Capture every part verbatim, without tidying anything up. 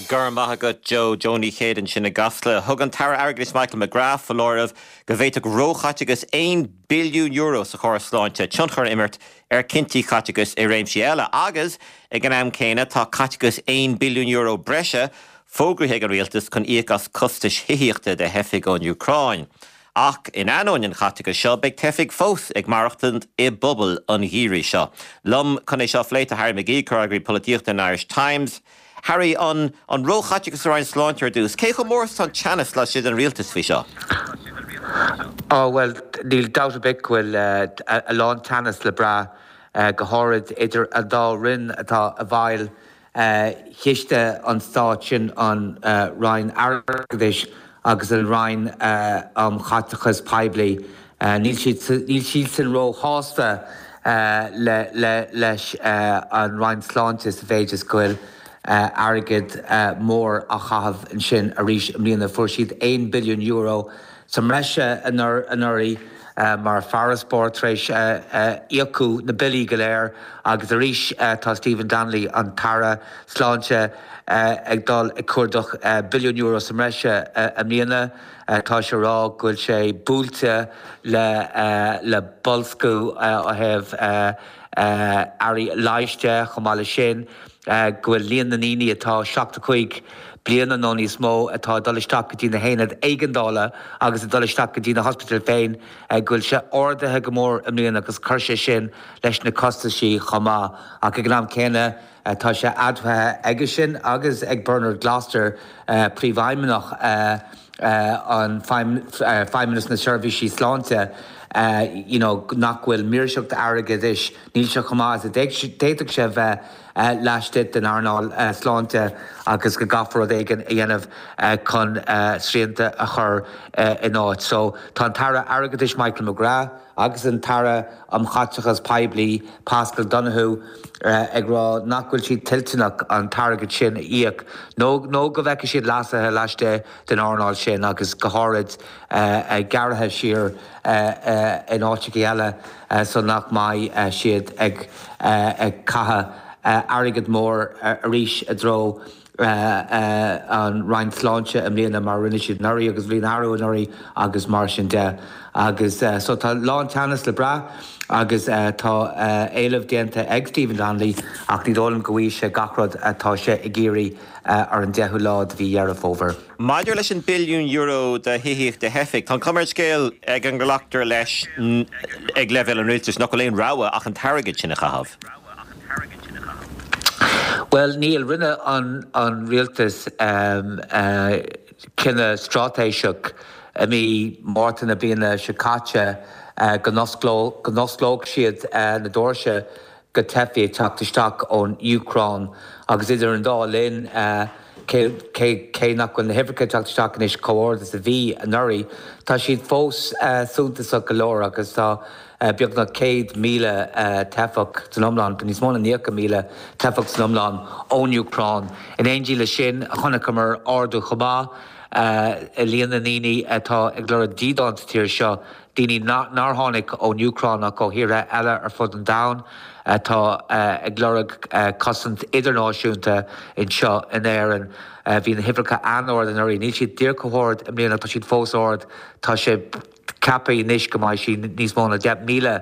Gur maith agat Joe Joe Ní Chéide ansin i gCasla. Thug an tAire Airgeadais Michael McGrath foláireamh go bhféadfadh róchaiteachas aon billiún euro sa chóras sláinte tionchar a imirt ar chinntí caiteachais i réimsí eile agus ag an am céanna tá caiteachas aon billiún euro breise fógraithe ag an rialtas chun íoc as costais thithíochta do theifigh ón Úcráin. Ach in ainneoin an chaiteachais seo beidh teifigh fós ag maireachtaint i bpubaill an gheimhridh seo. Liom chun é seo a phlé tá Harry McGee comhfhreagraí polaitíochta an Irish Times. Harry an an róchaiteachas ar an sláinte ar dtús, Cé chomh mór an teannas laistigh den rialtas faoi seo? Á well níl dabht ar bith go bhfuil a lán teannas le brath go háirid idir an dá roinn atá i bhfeighil chiste an stáit sin an Roinn Airgeadais agus an Roinn um Chaiteachas Poiblí. Níl siad sin róshásta leis an Roinn Sláinte sa mhéid is go bhfuil airgead mór á chaitheamh ansin arís i mbliana fuair siad aon billiún euro sa mbreis anuraidh mar farasbarr tar éis íocadh na billí go léir agus arís tá Stephen Donnelly an tAire Sláinte ag dul ag cuardach billiún euro sa mbreis i mbliana tá sé rá go bhfuil sé buailte le le boilsciú ó thaobh earraí leighis chomh maith leis sin go bhfuil líon na ndaoine atá seachtó cúig bliana nó níos mó atá dul isteach go dtí na haonaid éigeandála agus a dul isteach go dtí na hospidéil féin go bhfuil sé ardaithe go mór i mbliana agus chuir sé sin leis na costaisí chomh maith ach ag an am céanna tá sé admhaithe aige sin agus ag Bernard Gloster príomhfheidhmeannach an Feidhmeannas na Seirbhísí Sláinte you know, nach bhfuil maoirseacht airgeadais níl sé chomh maith is a d'fhéadfadh sé bheith laistigh den earnáil sláinte agus go gcaithfear rud éigin a dhéanamh chun srianta a chur in áit. So tá an tAire Airgeadais Michael McGrath agus an tAire um Chaiteachas Poiblí Paschal Donohoe ag rá nach bhfuil siad toilteanach an t-airgead sin a íoc nó nó go bhfeicfidh siad leasuithe laistigh den earnáil sin agus go háirid gearraithe siar in áiteacha eile so nach mbeidh siad ag ag caitheamh airgead mór arís i dtreo an Roinn Sláinte i mbliana mar rinne siad anuraidh agus bhí arú anuraidh agus mar sin de. Agus so tá lán teannas le brath agus tá éileamh déanta ag Stephen Donnelly ach ní dóigh liom go bhfaighidh sé gach rud atá sé ag iarraidh ar an deichiú lá de mhí Dheireadh Fómhair. Maidir leis an billiún euro do thithíocht do theifigh, Tá cuma ar an scéal ag an nglactar leis ag leibhéal an rialtais nach bhfuil aon rogha ach an t-airgead sin a chaitheamh. Well níl rinne an an rialtas um, uh, cinneadh straitéiseach i mí Márta na bliana seo caite uh, go n-osclódh siad uh, na doirse do theifigh teacht isteach ón Úcráin agus idir an dá linn uh, cé nach bhfuil na huimhreacha teacht isteach anois chomh hard is a bhí anuraidh, Tá siad fós uh, suntasach go leor agus tá uh, beagnach céad míle uh, teifeach san iomlán, níos mó ná nócha míle teifeach san iomlán ón Úcráin. In éindí le sin chonaiceamar ardú chomh maith uh, líon na ndaoine atá ag lorg dídean sa tír seo, daoine nár tháinig ón Úcráin ach ó thíortha eile ar fud an domhain atá uh, ag lorg uh, cosaint idirnáisiúnta anseo in Éirinn. Uh, bhí na huimhreacha an-ard anuraidh, níl siad díreach chomh hard i mbliana tá siad fós ard tá sé ceaptha anois go mbeidh sí níos mó ná deich míle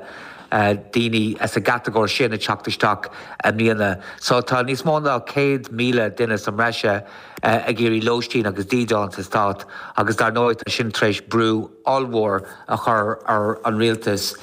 daoine as an gcatagóir sin ag teacht isteach i mbliana. So tá níos mó ná céad míle duine sa mbreis ag iarraidh lóistín agus dídean sa stát agus dar ndóigh tá sin tar éis brú ollmhór a chur ar an rialtas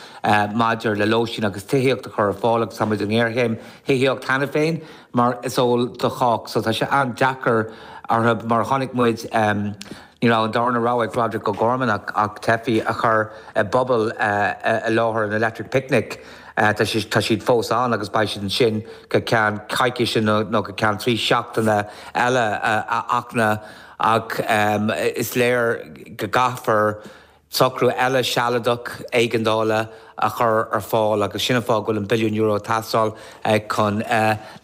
maidir le lóistín agus tithíocht a chur ar fáil agus táimid i ngéarchéim thithíocht cheana féin mar is eol do chách, so tá sé an-deacair orthu mar chonaic muid um, Ní raibh an darna rogha ag Roderic O'Gorman ach, ach teifigh a chur i bpuball uh, i láthair an Electric Picnic. Uh, tá siad fós ann agus beidh siad ansin go ceann coicíse nó go ceann trí seachtaine eile uh, achna ach um, is léir go gcaithfear socrú eile sealadach éigeandála a chur ar fáil agus sin fáth go bhfuil an billiún euro ag teastáil chun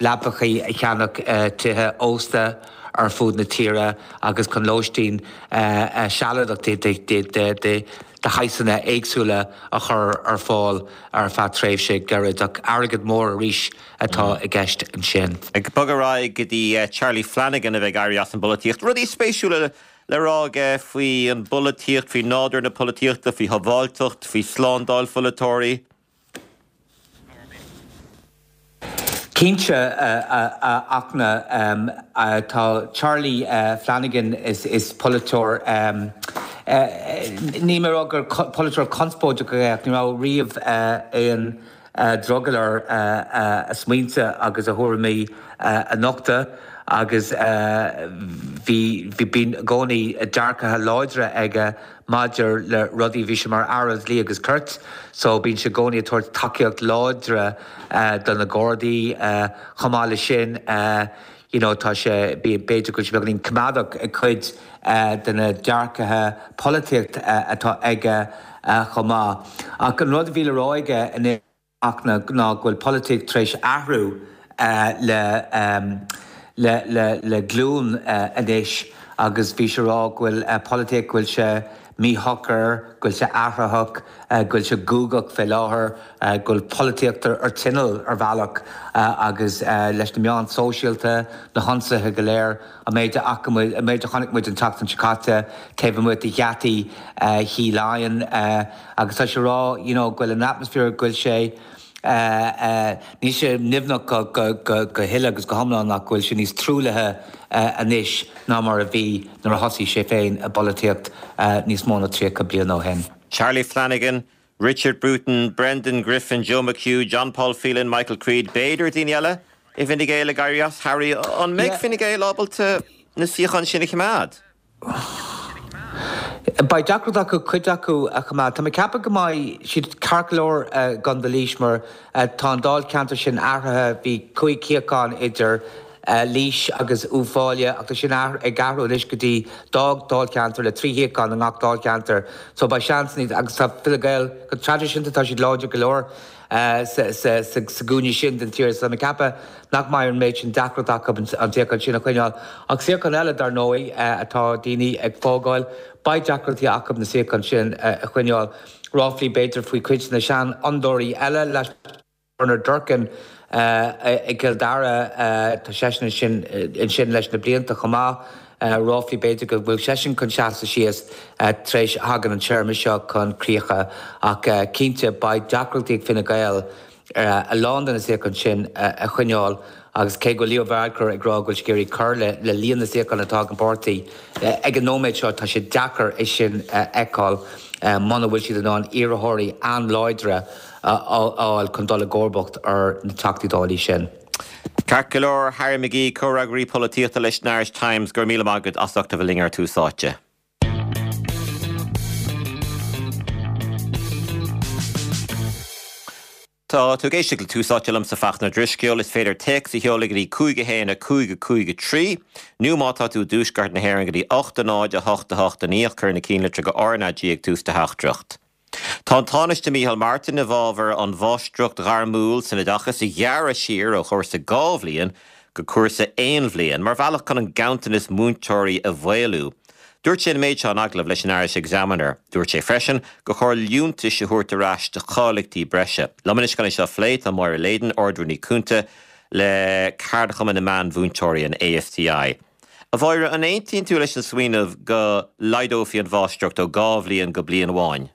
leapacha a cheannach tithe ósta ar fud na tíre agus chun lóistín sealadach de de shaghsanna éagsúla a chur ar fáil ar feadh tréimhse gairid ach airgead mór arís atá i gceist ansin. Ag bogadh ar aghaidh go dtí Charlie Flanagan a bheidh ag éirí as an bpolaitíocht. Rudaí spéisiúla le rá aige faoi an bpolaitíocht, faoi nádúr na polaitíochta, faoi shábháilteacht, faoi slándáil pholaiteoirí. Cinnte, a Fhachtna, tá Charlie Flanagan, is polaiteoir, níl mé ag rá gur polaiteoir conspóideach é ach ní raibh riamh aon drogall air a smaointe agus a thuairimí a nochtadh agus bhí, bíonn i gcónaí dearcadh láidre aige maidir le rudaí, bhí sé mar Aire Dlí agus Cirt so bíonn sé i gcónaí ag tabhairt tacaíocht láidre do na Gardaí. Chomh maith leis sin you know tá sé, b'fhéidir go bhfuil sé beagáinín coimeádach ag cuid de na dearcadh polaitíocht atá aige chomh maith. Ach an rud a bhí le rá aige anois, a Fhachtna ná go bhfuil polaitíocht tar éis athrú le le le le glúin anois agus bhí sé ag rá go bhfuil polaitíocht, go bhfuil sé míshocair, go bhfuil sé athraitheach, go bhfuil sé guagach fé láthair, go bhfuil polaitíocht ar tinneall ar bhealach agus leis na meáin sóisialta, na hionsaithe go léir, an méid a fhaca muid, an méid a chonaic muid an tseachtain seo caite taobh amuigh de gheataí Thí Laighean agus tá sé ag rá you know go bhfuil an atmaisféar, go bhfuil sé, níl sé nimhneach go huile agus go hiomlán ach go bhfuil sé níos truaillithe anois ná mar a bhí nuair a thosaigh sé féin i bpolaitíocht níos mó ná tríocha bliain ó shin. Charlie Flanagan, Richard Bruton, Brendan Griffin, Joe McHugh, John Paul Phelan, Michael Creed, b'fhéidir daoine eile i bhFine Gael ag éirí as. Harry, an mbeidh Fine Gael ábalta na suíocháin sin a choimeád? Beidh deacracht acu cuid acu a choimeád. Tá mé ag ceapadh go mbeidh siad ceart go leor i gContae Laois mar tá an dáilcheantar sin athraithe. Bhí cúig shuíochán idir Laois agus Uíbh Fhailí ach tá sin ag athrú anois go dtí dá dháilcheantar le trí shuíochán i ngach dáilcheantar. So beidh seans níos agus tá Fine Gael go traidisiúnta tá siad láidir go leor. sa gcúinne sin den tír. So tá mé ag ceapadh nach mbeidh an méid sin deacracht acu an suíochán sin a choinneáil. Ach suíochán eile, dar ndóigh, atá daoine ag fágáil, beidh deacrachtaí acu na suíocháin sin a choinneáil. Ráflaí, b'fhéidir, faoi chuid de na seanfhondúirí eile, leis Bernard Durkan i gCill Dara, tá seisean ansin leis na blianta chomh maith. Ráflaí, b'fhéidir, go bhfuil seisean chun seasamh síos tar éis a thagann an téarma seo chun críche ach cinnte beidh deacrachtaí ag Fine Gael a lán de na suíocháin sin a choinneáil agus cé go bhfuil Leo Varadkar ag rá go bhfuil sé ag iarraidh cur le líon na suíochán atá ag an bpáirtí, ag an nóiméad seo tá sé deacair é sin a fheiceáil muna bhfuil siad in ann iarrthóirí an-láidre a fháil chun dul i gcomharbacht ar na Teachtaí Dála sin. Ceart go leor, Harry McGee, Comhfhreagraí Polaitíochta leis an Irish Times, go raibh míle maith agat as ucht a bheith linn ar Tús Áite. Tá tú ag éisteacht le Tús Áite liomsa Fachtna Drisceoil. Is féidir téacs a sheoladh go dtí cúig a haon a cúig a cúig a trí nó má tá tú i dtuaisceart na hÉireann go dtí ocht a náid a hocht a hocht a naoi ach cuir na cinnlitreacha R na G ag tús do theachtaireacht. Tá an Tánaiste Micheál Martin i bhfabhar an mháistreacht ghairmiúil san oideachas a ghearradh siar ó chúrsa dhá bhliain go cúrsa aon bhliain mar bhealach chun an ganntanas múinteoirí a mhaolú. Dúirt sé an méid seo in agallamh leis an Irish Examiner. Dúirt sé freisin gur chóir liúntais a thabhairt ar ais do cháilíochtaí breise. Liom anois chun é seo a phlé tá Máire Leyden, Ard-Rúnaí Cúnta le Ceardchumann na Meánmhúinteoirí, an ASTI. A Mháire, an aontaíonn tú leis an smaoineamh go laghdófaí an mháistreacht ó dhá bhliain go bliain amháin?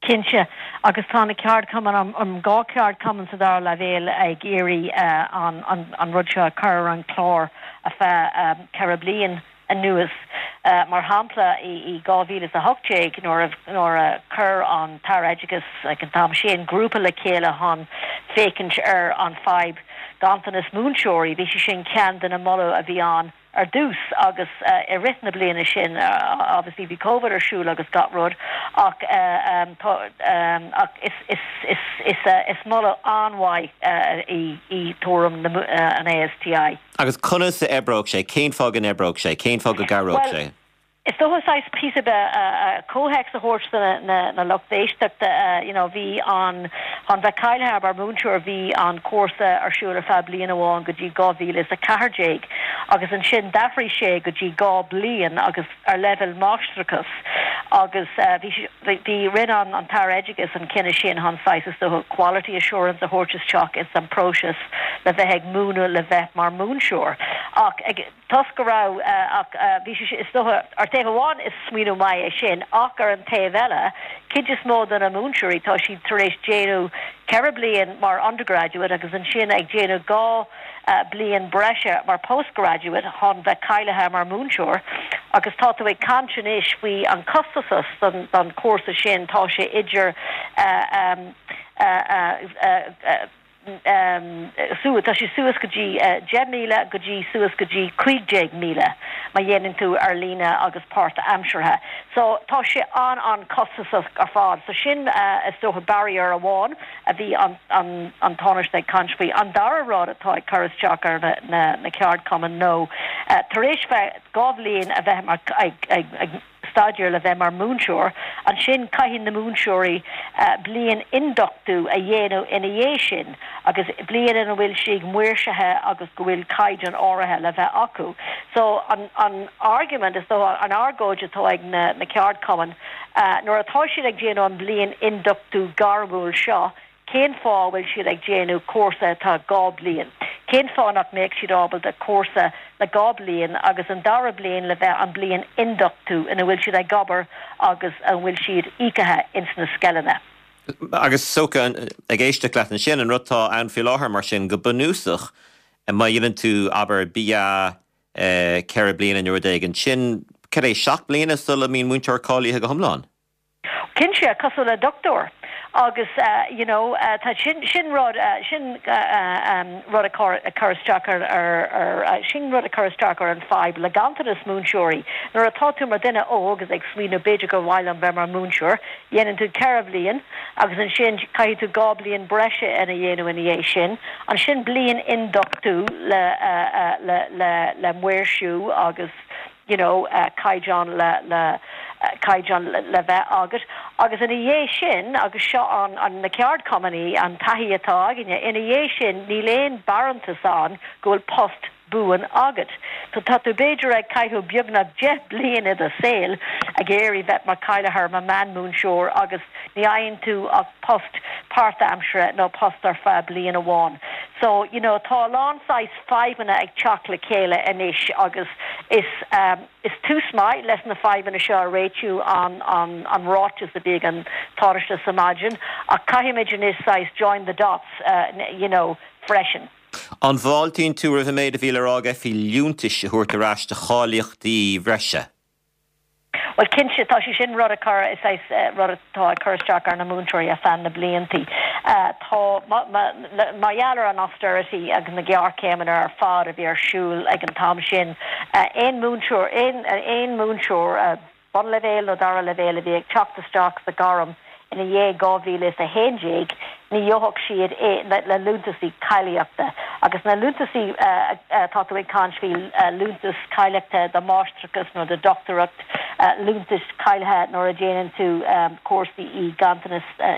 Cinnte, agus tá na ceardchumainn, an dhá cheardchumann sa dara leibhéal ag iarraidh an rud seo a chur ar an chlár ar feadh ceithre bliain anuas. Mar shampla, i dhá mhíle is a hocht déag nuair a chuir an tAire Oideachais ag an t-am sin grúpa le chéile chun féachaint ar an fadhb ganntanas múinteoirí, bhí sé sin ceann de na moladh a bhí ann. ar dtús agus i rith na bliana sin obviously bhí Covid ar siúl agus gach rud ach tá ach is is is is is moladh an-mhaith í i dtuairim na an ASTI. Agus conas a oibreodh sé? Cén fáth go n-oibreodh sé? Cén fáth go gcabhródh Well sé? Is dócha saghas píosa beag comhthéacs a thabhairt do na lucht éisteachta. You know bhí an, chun bheith cáilithe mar mhúinteoir bhí an cúrsa ar siúl ar feadh bliain amháin go dtí dhá mhíle is a ceathair déag agus ansin d'athraigh sé go dtí dhá bliain agus ar leibhéal máistreachais Agus bhí bhí rinne an an tAire Oideachais an cinneadh sin chun saghas is dócha quality assurance a thabhairt isteach ins an próiseas le bheith ag múineadh le bheith mar múinteoir. Ach ag toisc go raibh ach bhí sé is dócha ar taobh amháin is smaoineamh maith é sin ach ar an taobh eile, cuid is mó de na múinteoirí tá siad tar éis déanamh ceithre bliain mar undergraduate agus ansin ag déanamh dhá bliain breise mar postgraduate chun bheith cáilithe mar múinteoir agus tá tú ag caint anois faoi an costas don don cúrsa sin tá sé idir uh, um, uh, uh, uh, um, su tá sé suas go dtí uh, deich míle go dtí suas go dtí cúig déag míle má dhéanann tú ar líne agus páirtaimseartha. So tá sé an an costasach ar fad. So sin uh, is dócha barrier amháin a bhí an, an, an Tánaiste ag caint faoi. An dara rud atá ag cur isteach ar na, na, na ceardchumainn nó uh, tar éis bheith dhá bhliain a bheith mar ag, ag, ag staidéar le bheith mar múinteoir, ansin caithfidh na múinteoirí uh, bliain ionduchtú a dhéanamh ina dhiaidh sin, agus bliain ina bhfuil siad maoirsithe agus go bhfuil caighdeán áirithe le bheith acu. So an, an argument is dó an argóint atá ag na, na ceardchumainn, uh, nuair atá siad ag déanamh an bliain ionduchtú gairmiúil seo, cén fáth bhfuil siad ag déanamh cúrsa atá dhá bliain. Cén fáth nach mbeadh siad ábalta cúrsa le dhá bliain agus an dara bliain le bheith an bliain ionduchtú ina bhfuil siad ag obair agus an bhfuil siad íoctha ins na scoileanna. Agus socha ag éisteacht leat ansin an rud atá ann faoi láthair mar sin go bunúsach má dhéanann tú abair B A ceithre bliana nó rud éigin sin cad é seacht bliana sula mbíonn múinteoir cáilithe go hiomlán. Cinnte cosúil le dochtúir agus uh, you know uh, tá sin sin rud uh, sin uh, um, rud a chur isteach ar ar uh, sin rud a chur isteach ar an fadhb le ganntanas múinteoirí. Nuair atá tú mar duine óg agus ag smaoineamh b'fhéidir gur mhaith liom bheith mar múinteoir, dhéanann tú ceithre bliain agus ansin caithfidh tú dhá bliain breise ina dhéanamh ina dhiaidh sin, ansin bliain ionduchtú le, uh, uh, le, le, le maoirsiú agus you know, uh, caighdeán le, le uh, caighdeán le, le bheith agat. Agus ina dhiaidh sin agus seo an, an na ceardchumainn an taithí atá againne, ina dhiaidh sin níl aon bharántas ann go bhfuil post buan agat. So tá tú b'fhéidir ag caitheamh beagnach deich bliain i do shaol ag iarraidh bheith mar cáilithe mar meánmhúinteoir agus ní fhaigheann tú ach post páirtaimseartha nó post ar feadh bliain amháin. So you know, tá lán saghas fadhbanna ag teacht le chéile anois agus is um, is tús maith leis na fadhbanna seo a réitiú an, an, an ráiteas a bhí ag an Tánaiste sa maidin ach caithfimid anois saghas join the dots uh, you know, freisin. An bhfáiltíonn tú roimh an méid a bhí le rá aige faoi liúntais a thabhairt ar ais do cháilíochtaí bhreise. Well cinnte tá sé sin rud a chur is é rud atá ag cur isteach ar na múinteoirí ar feadh na blianta. Uh, tá mar gheall ar an austerity agus na géarchéimeanna ar fad a bhí ar siúl ag an t-am sin. Uh, aon múinteoir aon aon múinteoir uh, bunleibhéal nó dara leibhéal a bhí ag teacht isteach sa gairm ina dhiaidh dhá mhíle is a haon déag ní gheobhadh siad é le, le liúntasaí cáilíochta. agus na liúntasaí uh, uh, tá tú ag caint faoi uh, liúntas cáilíochta do mháistreachas nó do dochtúireacht uh, liúntas cáilithe nuair a déanann tú um, cúrsaí i ganntanas uh,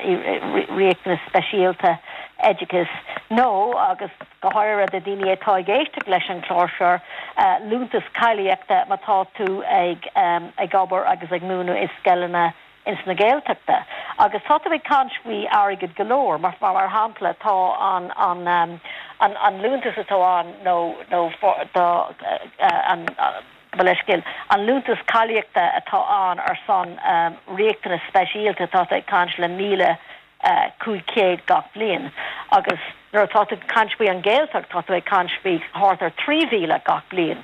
riachtanas speisialta oideachais nó agus go háirithe do daoine atá ag éisteacht leis an chlár seo uh, liúntas cáilíochta má tá tú ag um, ag obair agus ag múineadh i scoileanna ins na Gaeltachta. Agus tá ag caint faoi airgead go leor, mar mar mar shampla tá an an um, an, an liúntas atá an nó nó do uh, an uh, leithscéal an liúntas cáilíochta atá ann ar son um, riachtanas speisialta tá ag caint le míle uh, cúig chéad gach bliain. agus nuair atá tú caint faoi an Ghaeltacht tá ag caint faoi thart ar trí mhíle gach bliain.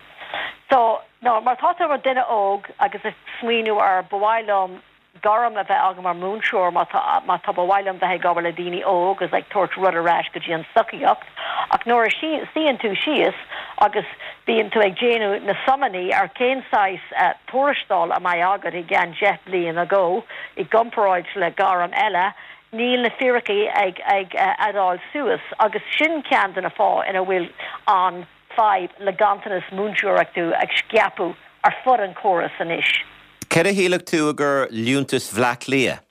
So no, mar tá mar duine óg agus ag smaoineamh ar ba mhaith liom gairm a bheith agam mar múinteoir má tá ba mhaith liom bheith ag obair le daoine óg agus ag tabhairt rud ar ais go dtí an tsochaí ach nuair a suíonn tú síos agus bíonn tú ag déanamh na sumanna ar cén saghas uh, tuarastal a mbeidh agat i gceann deich bliain ago i gcomparáid le gairm eile, níl na fíricí ag ag uh, add-áil suas agus sin ceann de na fáthanna ina bhfuil an fadhb le ganntanas múinteoireachta ag scaipeadh ar fud an chórais anois. Cé a shílfeadh tú gur liúntas Bhleá Cliath?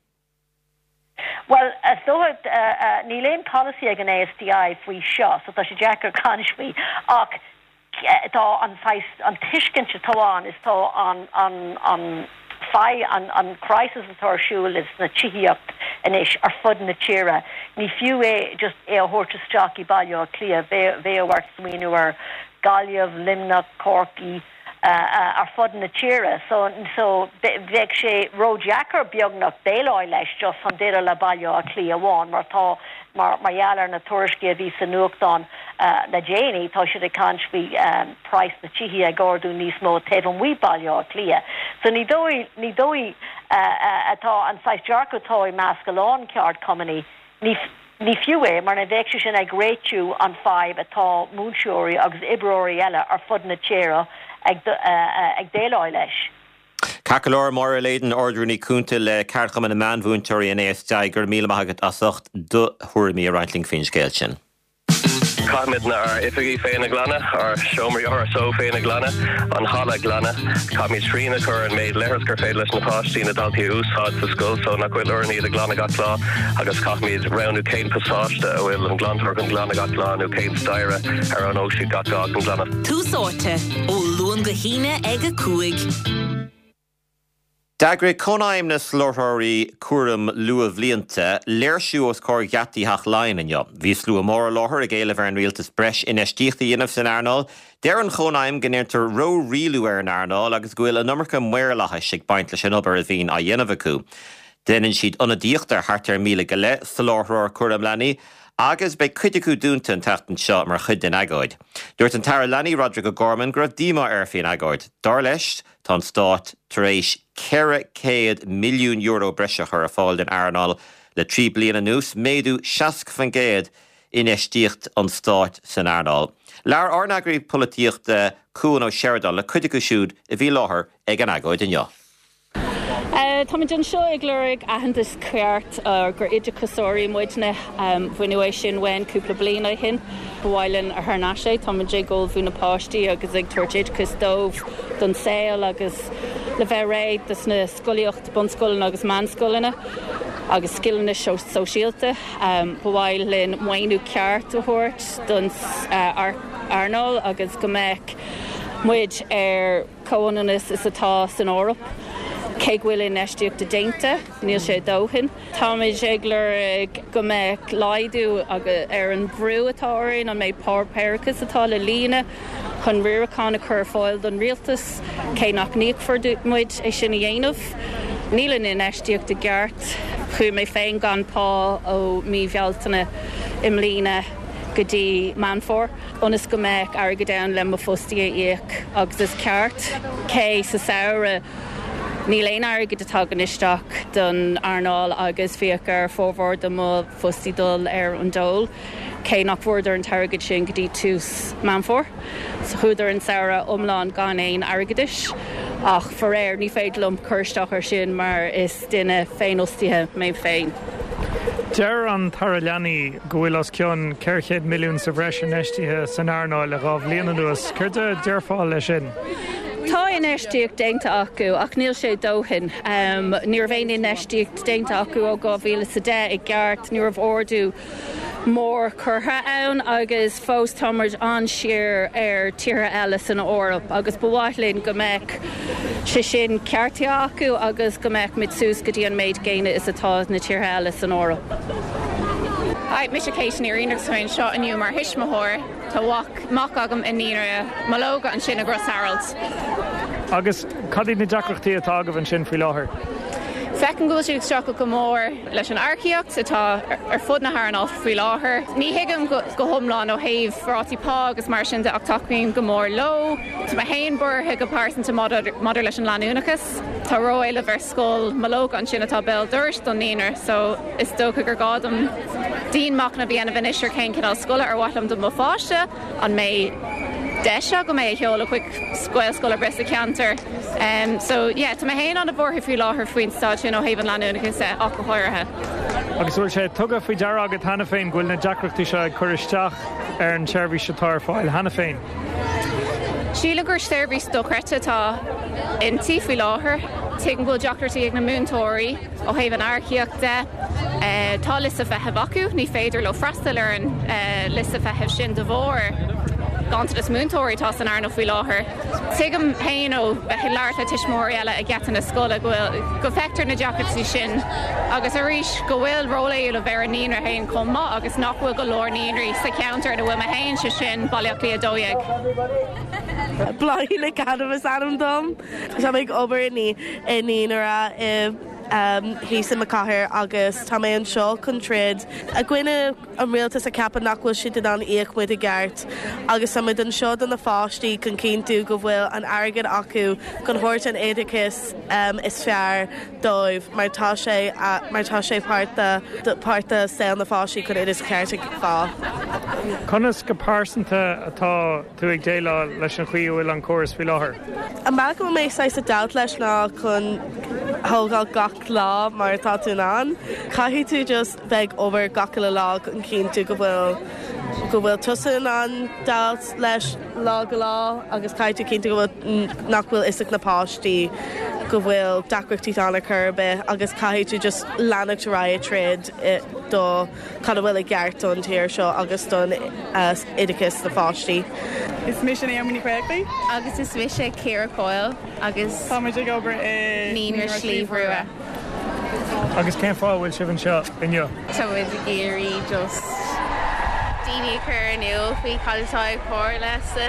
Well so uh, uh, níl aon policy ag an A S T I faoi seo, so tá sé deacair caint faoi ach tá an an tuiscint atá ann is tá an an an fadhb an an crisis atá ar siúl is na tithíocht anois ar fud na tíre. Ní fiú é just é a thabhairt isteach i Baile Átha Cliath bheadh ort smaoineamh ar Gaillimh, Luimneach, Corcaigh, ar fud na tíre so so bheadh sé ródheacair beagnach déileáil leis just chun déileáil le Baile Átha Cliath amháin mar tá mar mar gheall ar na tuairiscí a bhí sa nuachtán le déanaí tá siad ag caint faoi um, praghas na tithe ag ardú níos mó taobh amuigh Baile Átha Cliath. So ní dóigh ní dóigh atá an saghas dearcadh atá i measc a lán ceardchumann ní ní fiú é mar ní bheadh sé sin ag réitiú an fadhb atá múinteoirí agus oibreoirí eile ar fud na tíre ag ag déileáil leis. Ceart go leor Máire Leyden Ard-Rúnaí Cúnta le Ceardchumann na Meánmhúinteoirí an ASDI gur míle maith agat as ucht do thuairimí a roinnt linn faoin scéal sin. Caithfimid ár n-oifigí féin a ghlanadh, ár seomraí RSO féin a ghlanadh, an halla glanadh, Caithfimid srian a chur an méid leithreas gur féidir leis na páistí na daltaí a úsáid sa scoil so nach bhfuil orainn iad a ghlanadh gach lá agus caithfimid roghnú cén pasáiste a bhfuil an glantóir chun glanadh gach lá nó cén staighre ar an siad gach lá chun glanadh. Tús Áite ó Luan go hAoine ag a cúig. D'eagraigh Cónaidhm na Soláthróirí Cúraim Luathbhlianta léirsiú os comhair gheataí Theach Laighean inniu. Bhí slua mór i láthair ag éileamh ar an rialtas breis infheistíochta a dhéanamh san earnáil. Deir an Chónaidhm go ndéantar ró-rialú ar an earnáil agus go bhfuil an iomarca maorlathais ag baint leis an obair a bhíonn á dhéanamh acu. Déanann siad ionadaíocht ar thart ar míle go leith soláthróir cúraim leanaí, agus beidh cuid acu dúnta an tseachtain seo mar chuid den agóid. Dúirt an tAire Leanaí Roderick O'Gorman go raibh díomá air faoin agóid. Dar leis tá an stát tar éis ceithre chéad milliún euro breise a chur ar fáil den earnáil le trí bliana anuas méadú seasca faoin gcéad infheistíocht an stáit san earnáil. Labhair ár n-eagraí polaitíochta Cuan Ó Seireadáin le cuid acu siúd a bhí i láthair ag an agóid inniu. Táimid anseo ag lorg aitheantas ceart gur oideachasóirí muidne baineadh é sin uainn cúpla bliain ó shin. Ba mhaith linn a thar n-ais é Táimid ag ullmhú na páistí agus ag tabhairt oideachas dóibh don saol agus le bheith réidh dos na scolaíocht bunscoileanna agus meánscoileanna agus scileanna sóisialta. Ba mhaith linn maoiniú ceart a thabhairt don earnáil agus go mbeadh muid ar comhionannas is atá san Eoraip. Cé go bhfuil infheistíocht déanta, níl sé dóthain. Táimid ag lorg go mbeadh laghdú ar an bhrú atá orainn an méid páipéarachas atá le líonadh chun riarachán a chur fáil don rialtas, cé nach n-íocfar muid é sin a dhéanamh. Níl an infheistíocht i gceart chuaigh mé féin gan pá ó mí Bhealtaine i mbliana go dtí Meán Fómhair, ionas go mbeadh airgead ann le mo fhostaí a íoc agus is ceart cé sa samhradh Níl aon airgead ag teacht isteach don earnáil agus bhíodh ar formhór de mo fhostaí dul ar an dól, cé nach bhfuaireadar an t-airgead sin go dtí tús Meán Fómhair. So chuadar an samhradh iomlán gan aon airgeadais ach faraor ní féidir liom cur isteach ar sin mar is duine féinfhostaithe mé féin. Deir an tAire Leanaí go bhfuil os cionn ceithre chéad milliún sa bhreis infheistithe san earnáil le dhá bhliain anuas, Céard a déarfá leis sin? Tá infheistíocht déanta acu ach níl sé dóthain. Um, ní raibh aon infheistíocht déanta acu ó dhá mhíle is a deich i gceart, ní raibh ardú mór curtha ann agus fós táimid an-siar ar tíortha eile san Eoraip agus ba mhaith linn go mbeadh sé sin ceartaithe acu agus go mbeadh muid suas go dtí an méid céanna is atá na tíortha eile san Eoraip. Hi, mise Kate Ní agus féin seo inniu mar thuismitheoir Tá mac agam i naíonra Mológa ansin i gCrois Araild. Agus cad iad na deacrachtaí atá agaibh ansin faoi láthair. Feicim go bhfuil siad ag streachailt go mór leis an earcaíocht atá ar fud na hearnála faoi láthair. Ní thuigim go hiomlán ó thaobh rátaí pá agus mar sin de ach tacaím go mór leo. Tá mé féin buartha go pearsanta maidir leis an leanúnachas. Tá ró-éileamh ar scoil Mológa ansin atá béal dorais don naíonra, so is dócha gur gá dom dianmhachnamh a dhéanamh anois ar cén cineál scoile ar mhaith liom do mo pháiste an mbeidh deis go mé a sheoladh chuig Gaelscoil ar bith sa cheantar. Um, so yeah, tá mé féin an-bhuartha faoi láthair faoin staid sin ó thaobh an leanúnachas ach go háirithe. Agus bhfuil sé tugtha faoi deara agat cheana féin go bhfuil na deacrachtaí seo ag cur isteach ar an tseirbhís atá ar fáil cheana féin. Sílim gur seirbhís dochreidte atá inti faoi láthair, Tuigim go bhfuil deacrachtaí ag na múinteoirí ó thaobh an earcaíocht de. Tá liosta feithimh acu, ní féidir leo freastal ar an liosta feithimh sin de bharr ganntanas múinteoirí atá san earnáil faoi láthair. Tuigim féin ó bheith ag labhairt le tuismitheoirí eile ag geata na scoile go bhfuil go bhfeictear na deacrachtaí sin agus arís go bhfuil ról éileamh ar an naíonra féin chomh maith agus nach bhfuil go leor naíonraí sa cheantar ina bhfuil mé féin sé sin Baile Átha Cliath a dó dhéag. Bláithín Nic Adaim is ainm dom. Tá mé ag obair i naíonra i thíos i mo chathair agus tá mé anseo chun troid i gcoinne an rialtas a ceapann nach bhfuil siad in ann íoc muid i gceart agus tá muid anseo do na páistí chun cinntiú go bhfuil an airgead acu chun thabhairt an oideachas um, is fearr dóibh mar tá sé mar tá sé páirt páirt de saol na páistí chun oideachas ceart a fháil. Conas go pearsanta atá tú ag déileáil leis an chaoi a bhfuil an córas faoi láthair? An bealach go mé ag déileáil leis ná chun thógáil gach lá mar atá tú an. Caithfidh tú just bheith obair gach lá chun cinntiú go bhfuil go bhfuil tusa in ann déileáil leis lá go lá agus caithfidh tú cinntiú go bhfuil nach bhfuil fhios ag na páistí go bhfuil deacrachtaí ann ar chor ar bith agus caithfidh tú just leanacht ar aghaidh troid do cad a bhfuil i gceart don tír seo agus don oideachas na pháistí. Is mise Naomi Ní Chuigí? Agus is mise Ciara Coyle agus Táimid ag obair i Naíonra Sliabh Rua. Agus cén fáth bhfuil sibh anseo inniu? Tá muid ag iarraidh just daoine a chur in iúl faoi cad atá ag tarlú sa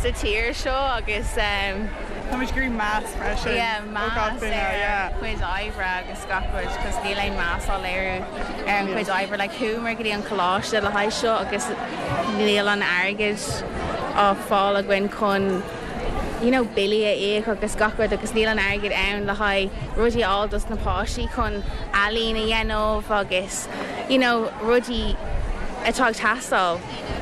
sa tír seo agus um, Tá muid ag iarraidh meas freisin. Yeah, meas ar chuid oibre agus gach rud, cos níl aon meas á léiriú ar an chuid oibre like chuamar go dtí an coláiste le haghaidh seo agus níl an airgead á fáil againn chun you know, billí a íoc agus gach rud agus níl an airgead ann le haghaidh rudaí á dos na páistí chun ealaín a dhéanamh agus you know, rudaí atá ag teastáil.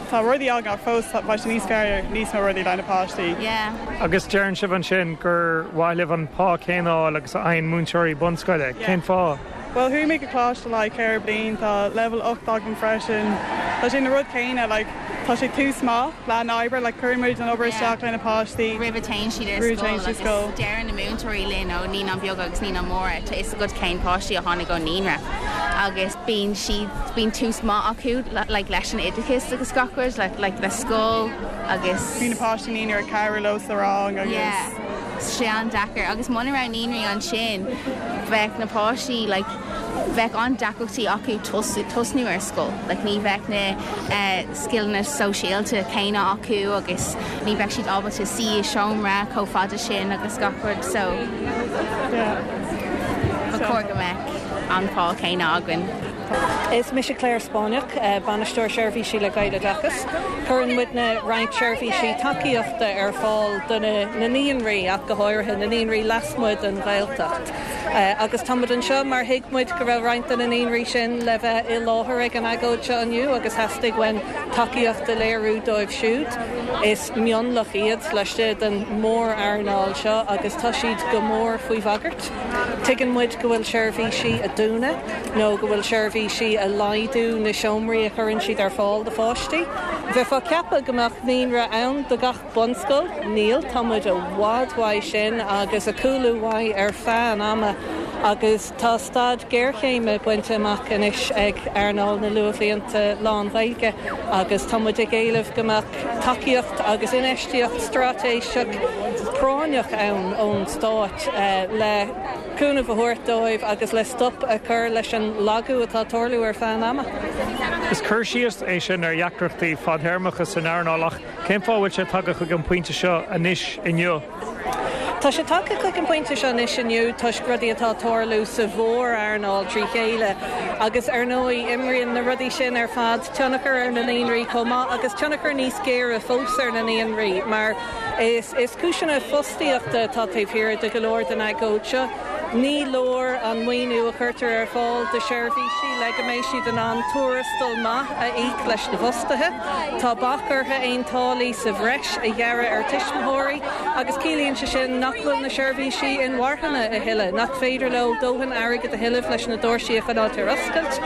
Tá rudaí aga fós bheadh sé níos fearr níos mó rudaí le na páistí. Yeah. Agus deireann sibh ansin gur mhaith libh an pá céanna agus a fhaigheann múinteoirí bunscoile, cén fáth? Well chuaigh mé go coláiste le ceithre bliana tá level ocht agam freisin. Tá sé na rud céanna like, tá sé tús maith le an obair le cuirimid an obair isteach le na páistí. Roimh a théann siad ar Roimh a théann scoil siad scoil. agus deireann na múinteoirí linn ó naíonáin bheaga agus naíonáin mhóra tá fhios agat cén páistí a tháinig ó naíonra agus bíonn siad bíonn tús maith acu le- like, leis an oideachas agus gach rud like, like, le scoil agus Bhí na páistí naíonra ag cabhrú leo sa rang agus Yeah. sé an-deacair agus muna raibh naíonraí ansin bheadh na páistí like, bheadh an-deacrachtaí acu tosnú ar scoil, like, ní bheadh na uh, scileanna sóisialta céanna acu agus ní bheadh siad ábalta suí i seomra chomh fada sin agus gach rud so ba chóir go mbeadh an pá céanna againn. Is mise Claire Spáinneach, bainisteoir seirbhísí le Gaeloideachas. Cuireann muidne roinnt seirbhísí tacaíochta ar fáil do na naíonraí ach go háirithe na naíonraí lasmuigh den Ghaeltacht. Agus táimid anseo mar thuig muid go raibh roinnt de na naíonraí sin le bheith i láthair ag an agóid seo inniu agus theastaigh uainn tacaíocht a léiriú dóibh siúd. Is mionlach iad laistigh den mhór-earnáil seo agus tá siad go mór faoi bhagairt. Tuigeann muid go bhfuil seirbhísí ag dúnadh nó go bhfuil seirbhísí ag laghdú na seomraí a chuireann siad ar fáil do pháistí. Bheifeá ag ceapadh go mbeadh naíonra ann do gach bunscoil, níl tá muid i bhfad uaidh sin agus ag cúlú uaidh ar feadh an ama agus tá staid géarchéime bainte amach anois ag earnáil na luathbhlianta lán-Ghaeilge agus tá muid ag éileamh go mbeadh tacaíocht agus infheistíocht straitéiseach práinneach ann ón stát le cúnamh a thabhairt dóibh agus le stop a chur leis an lagú atá ag tarlú ar feadh an ama. Is cur síos é sin ar dheacrachtaí fadtéarmacha san earnáil ach cén fáth bhfuil sé tagtha chuig an pointe seo anois inniu. Tá sé tagtha chuig an pointe seo anois inniu toisc rudaí atá ag tarlú sa mhór-earnáil trí chéile, agus ar ndóigh imríonn na rudaí sin ar fad tionchar ar na naíonraí chomh maith agus tionchar níos géire fós ar na naíonraí mar is is cúiseanna fostaíochta atá taobh thiar de go leor den agóid seo. Ní leor an maoiniú a chuirtear ar fáil do sheirbhísí le go mbeidh siad in ann tuarastal maith a íoc leis na fostaithe. Tá bac orthu aon táillí sa bhreis a ghearradh ar tuismitheoirí agus ciallaíonn sé sin nach bhfuil na seirbhísí inmharthana a thuilleadh, nach féidir leo dóthain airgid a thuilleamh leis na doirse a choinneáil ar oscailt.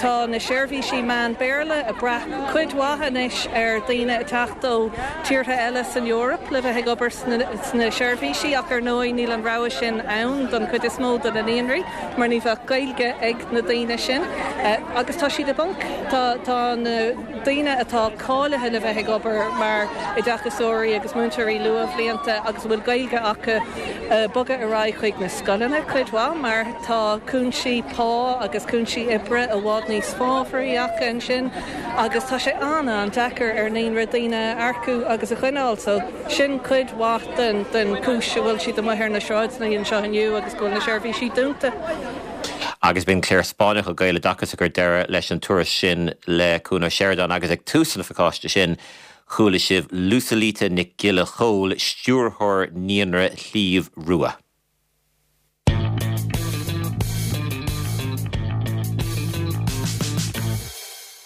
Tá na seirbhísí meán Béarla ag brath cuid mhaith anois ar daoine ag teacht ó tíortha eile san Eoraip le bheith ag obair sna seirbhísí ach ar ndóigh níl an rogha sin ann don chuid is mó de na naíonraí mar ní bheadh Gaeilge ag na daoine sin agus tá siad i bponc tá na daoine atá cáilithe le bheith ag obair mar oideachasóirí agus múinteoirí luathbhlianta agus a bhfuil Gaeilge acu bogadh ar aghaidh chuig na scoileanna cuid mhaith mar tá cúinsí pá agus cúinsí oibre i bhfad níos fábhraí acu ansin agus tá sé an-an-deacair ar naíonra daoine a earcú agus a choinneáil so sin cuid mhaith den den chúis a bhfuil siad amuigh ar na sráideanna anseo inniu agus go bhfuil na seirbhísí dúnta. Agus b'in Claire Spáinneach ó Gaeloideachas ag cur deireadh leis an tuairisc sin le Cuan Ó Seireadáin agus ag tús an phacáiste sin chuala sibh Lusalita Nic Giolla Chóill, Stiúrthóir Naíonra Shliabh Rua.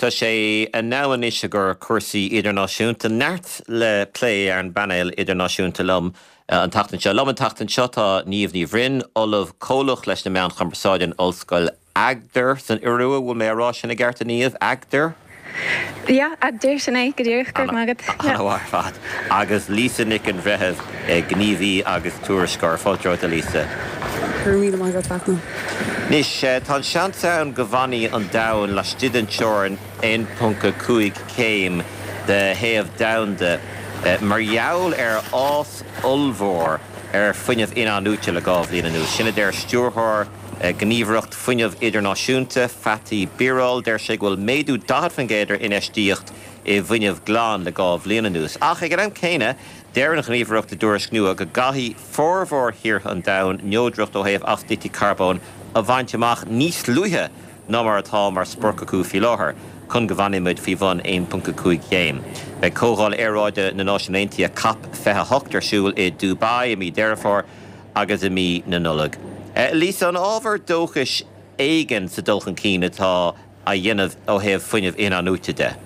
Tá sé in am anois i gcomhair cúrsaí idirnáisiúnta. Neart le plé ar an bpainéal idirnáisiúnta liom an tseachtain seo. Liom an tseachtain seo tá Niamh Ní Bhroin, Ollamh Comhlach leis na Meáin Chumarsáide in Ollscoil Agder san Iorua, bhfuil mé á rá sin i gceart a Niamh? Agder? Yeah, Agder sin é go díreach go raibh maith agat. Ana-mhaith ar fad. Agus Lisa Nic an Bhreithimh, gníomhaí agus tuairisceoir. Fáilte romhat a Lisa. Go raibh míle maith agat Fachtna. Anois, tá an seans ann go bhfanfaidh an domhan laistigh den teorainn aon ponc a cúig céim de théamh domhanda mar gheall ar fhás ollmhór ar fuinneamh in-athnuaite le dhá bhliain anuas. Sin a deir stiúrthóir Ghníomhaireacht Fuinnimh Idirnáisiúnta, Fatih Birol. Deir sé go bhfuil méadú daichead faoin gcéad ar infheistíocht i bhfuinneamh glan le dhá bhliain anuas. Ach ag an am céanna, deir an Ghníomhaireacht i dtuairisc nua go gcaithfidh formhór thíortha an domhain neodracht ó thaobh astaíochtaí carbóin a bhaint amach níos luaithe ná mar atá mar sprioc acu faoi láthair, chun go bhfanfaidh muid faoi bhun aon ponc a cúig chéim. Beidh Comhdháil Aeráide na Náisiún Aontaithe Cop fiche a hocht ar siúl i Dubai i mí Deireadh Fómhair agus i mí na Nollag. Lisa, an ábhar dóchais éigin sa dul chun cinn atá á dhéanamh ó thaobh fuinneamh in-athnuaite de?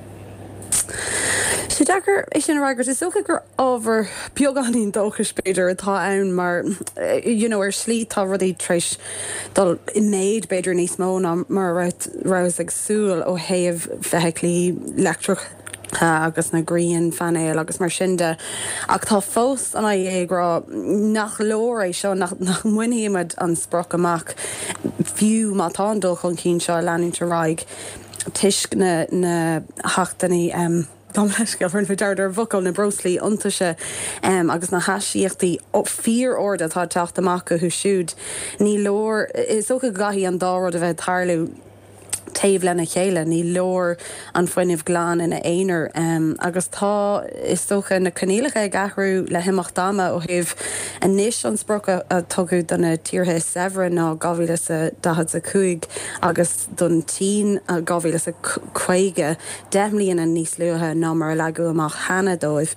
Sé deacair é sin a fhreagairt. Is dócha gur ábhar beagáinín dóchais b'fhéidir atá ann mar you know ar shlí tá rudaí tar éis dul i méid b'fhéidir níos mó ná mar a rabhthas ag súil ó thaobh feithiclí leictreacha agus na grianphainéil agus mar sin de. Ach tá fós an I E A ag rá nach leor é seo, nach mbainfidh muid an sprioc amach fiú má tá an dul chun cinn seo ag leanúint ar aghaidh toisc na na hacmhainní gabh mo leithscéal, rinne mé dearmad ar an bhfocal, na breoslaí iontaise agus na hastaíochtaí fíor-arda atá ag teacht amach uathu siúd. Ní leor, is dócha go gcaithfidh an dá rud a bheith ag tarlú. taobh lena chéile, ní leor an fuinneamh glan ina aonar. Agus tá, is dócha, na coinníollacha ag athrú le himeacht ama ó thaobh anois an sprioc a tugadh do na tíortha is saibhre ná dhá mhíle is a daichead a cúig agus don tSín dhá mhíle is a caoga, deich mbliana níos luaithe ná mar a leagadh amach cheana dóibh.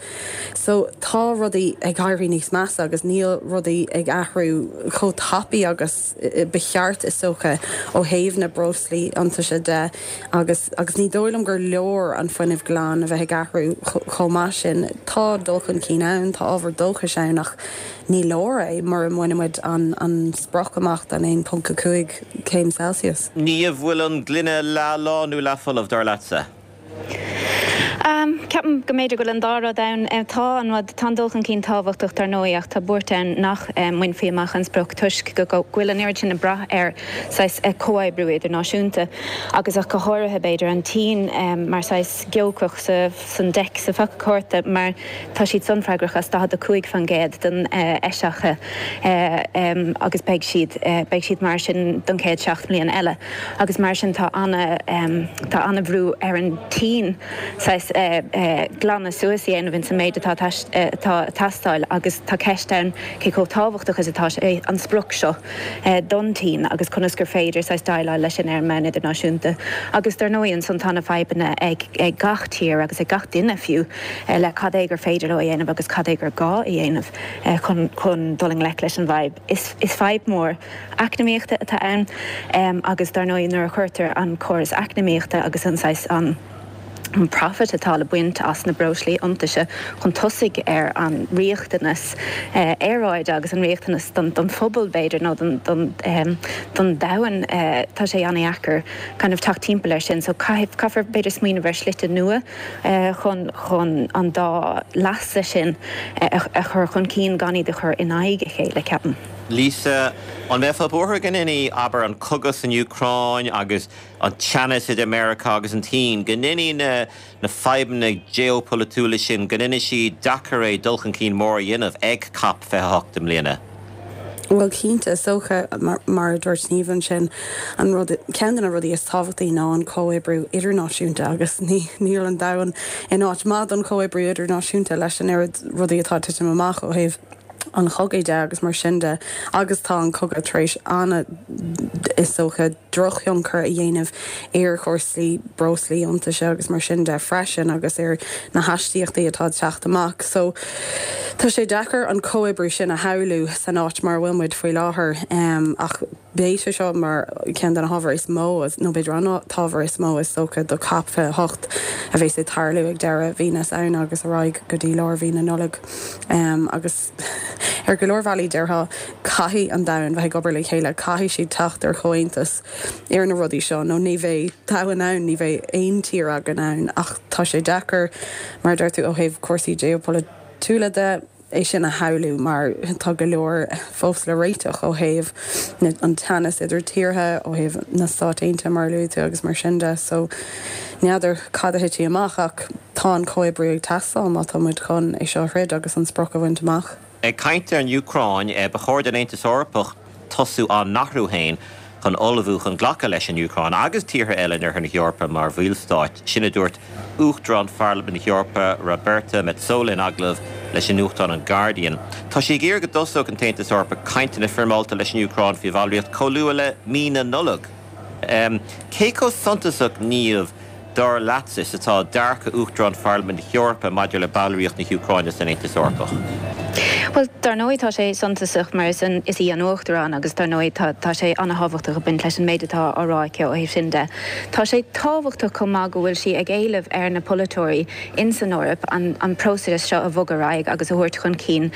So tá rudaí ag éirí níos measa agus níl rudaí ag athrú chomh tapaidh agus ba cheart, is dócha, ó thaobh na breoslaí iontaise de agus agus ní dóigh liom gur leor an fuinneamh glan a bheith ag athrú chomh maith sin. Tá dul chun cinn ann, tá ábhar dóchais ann ach ní leor é mura mbainimid an an sprioc amach den aon ponc a cúig céim Celsius. Niamh, bhfuil an gloine leath lán nó leath folamh, dar leatsa? Ceapaim go mb'fhéidir go bhfuil an dá rud ann. Tá an rud, tá an dul chun cinn tábhachtach dar ndóigh ach tá buairt ann nach mbainfí amach an sprioc toisc go bhfuil an oiread sin ag brath ar saghas comhoibriú idirnáisiúnta agus ach go háirithe b'fhéidir an tSín mar saghas giócach sa san deic sa phaca cárta mar tá siad san freagrach as daichead a cúig faoin gcéad den eisiacha agus beidh siad beidh siad mar sin don chéad seacht mbliana eile agus mar sin tá ana tá ana bhrú ar an tSín saghas glanadh suas a dhéanamh ins an méid atá atá ag teastáil agus tá ceist ann cé chomh tábhachtach is atá sé an sprioc seo don tSín agus conas gur féidir saghas déileáil leis sin ar an mbonn idirnáisiúnta. Agus dar ndóigh ansan tá na fadhbanna ag ag gach tír agus ag gach duine fiú le cad é gur féidir leo a dhéanamh agus cad é gur gá a dhéanamh chun chun dul i ngleic leis an bhfadhb. Is is fadhb mór eacnamaíochta atá ann agus dar ndóigh nuair a chuirtear an córas eacnamaíochta agus an saghas an an profit atá le baint as na breoslaí iontaise chun tosaigh ar an riachtanas aeráide agus an riachtanas don don phobal b'fhéidir nó don don don domhan tá sé an-deacair kind of teacht timpeall air sin so caithfidh caithfear b'fhéidir smaoineamh ar shlite nua chun chun an dá leasa sin a chur chun cinn gan iad a chur in aghaidh a chéile ceapaim. Lisa, an mbeifeá buartha go ndéanfaidh, abair, an cogadh san Úcráin agus an teannas idir Meiriceá agus an tSín, go ndéanfaidh na na fadhbanna geopolaitiúla sin, go ndéanfaidh siad deacair é dul chun cinn mór a dhéanamh ag COP fiche a hocht i mbliana? Bhuel cinnte, is dócha, mar a dúirt Niamh ansin, an rud, ceann de na rudaí is tábhachtaí ná an comhoibriú idirnáisiúnta agus ní, níl an domhan in áit maith don chomhoibriú idirnáisiúnta leis an oiread rudaí atá ag titim amach ó thaobh an chogaidh de agus mar sin de agus tá an cogadh tar éis ana, is dócha, drochthionchar a dhéanamh ar chúrsaí breoslaí iontaise agus mar sin de freisin agus ar na hastaíochtaí atá ag teacht amach. So tá sé deacair an comhoibriú sin a shamhlú san áit mar a bhfuil muid faoi láthair ach beidh sé seo mar ceann de na hábhair is mó, nó b'fhéidir an t-ábhar is mó is dócha do COP fiche a hocht a bheas ag tarlú ag deireadh mhí na Samhna agus ar aghaidh go dtí lár mhí na Nollag. Agus ar go leor bealaí déarfá caithfidh an domhan bheith ag obair le chéile, caithfidh siad teacht ar chomhaontas ar na rudaí seo nó ní bheidh domhan ann, ní bheidh aon tír againn ann. Ach tá sé deacair, mar a deir tú, ó thaobh cúrsaí geopolaitiúla de, é sin a shamhlú mar tá go leor fós le réiteach ó thaobh an teannas idir tíortha, ó thaobh na Stáit Aontaithe mar a luaigh tú agus mar sin de. So n'fheadar cad a thitfidh amach ach tá an comhoibriú ag teastáil má tá muid chun é seo a throid agus an sprioc a bhaint amach. Ag caint ar an Úcráin, ba chóir don Aontas Eorpach tosú á n-athrú féin chun ullmhú chun glacadh leis an Úcráin agus tíortha eile in Oirthear na hEorpa mar bhallstáit. Sin a dúirt Uachtarán Pharlaimint na hEorpa, Roberta Metsola in agallamh leis an nuachtán an Guardian. Tá sí ag iarraidh go dtosódh an tAontas Eorpach cainteanna foirmeálta leis an Úcráin faoi bhallraíocht chomh luath le mí na Nollag. Cé chomh suntasach, Niamh, dar leatsa, is atá dearcadh Uachtarán Pharlaimint na hEorpa maidir le ballraíocht na hÚcráine san Aontas Eorpach? Bhuel, dar ndóigh tá sé suntasach mar is is í an Uachtarán agus dar ndóigh tá tá sé an-thábhachtach ag baint leis an méid atá á rá aici ó thaobh sin de. Tá sé tábhachtach chomh maith go bhfuil sí ag éileamh ar na polaiteoirí in san Eoraip an an próiseas seo a bhogadh ar aghaidh agus a thabhairt chun cinn.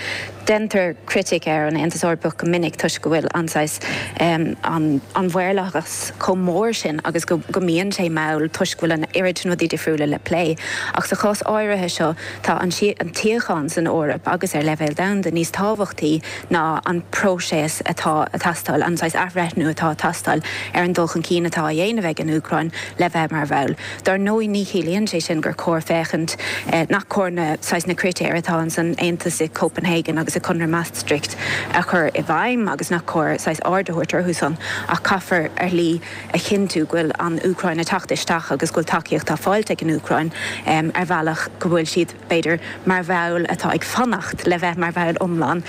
Déantar critic ar an Aontas Eorpach go minic toisc go bhfuil an saghas an an mhaorlathas chomh mór sin agus go go mbíonn sé mall toisc go bhfuil an oiread sin rudaí difriúla le plé. Ach sa chás áirithe seo tá an tsíocháin san Eoraip agus ar leibhéal domhanda níos tábhachtaí ná an próiseas atá ag teastáil, an saghas athbhreithniú atá ag teastáil ar an dul chun cinn atá á dhéanamh ag an Úcráin le bheith mar bhall. Dar ndóigh ní chiallaíonn sé sin gur cóir féachaint nach cóir na saghas na critéir atá ins an Aontas i Copenhagen agus i Conradh Maastricht a chur i bhfeidhm agus nach cóir saghas aird a thabhairt orthu san ach caithfear ar shlí a chinntiú go bhfuil an Úcráin ag teacht isteach agus go bhfuil tacaíocht á fáilt ag an Úcráin ar bhealach go bhfuil siad, b'fhéidir, mar bhall atá ag fanacht le bheith mar bhall iomlán,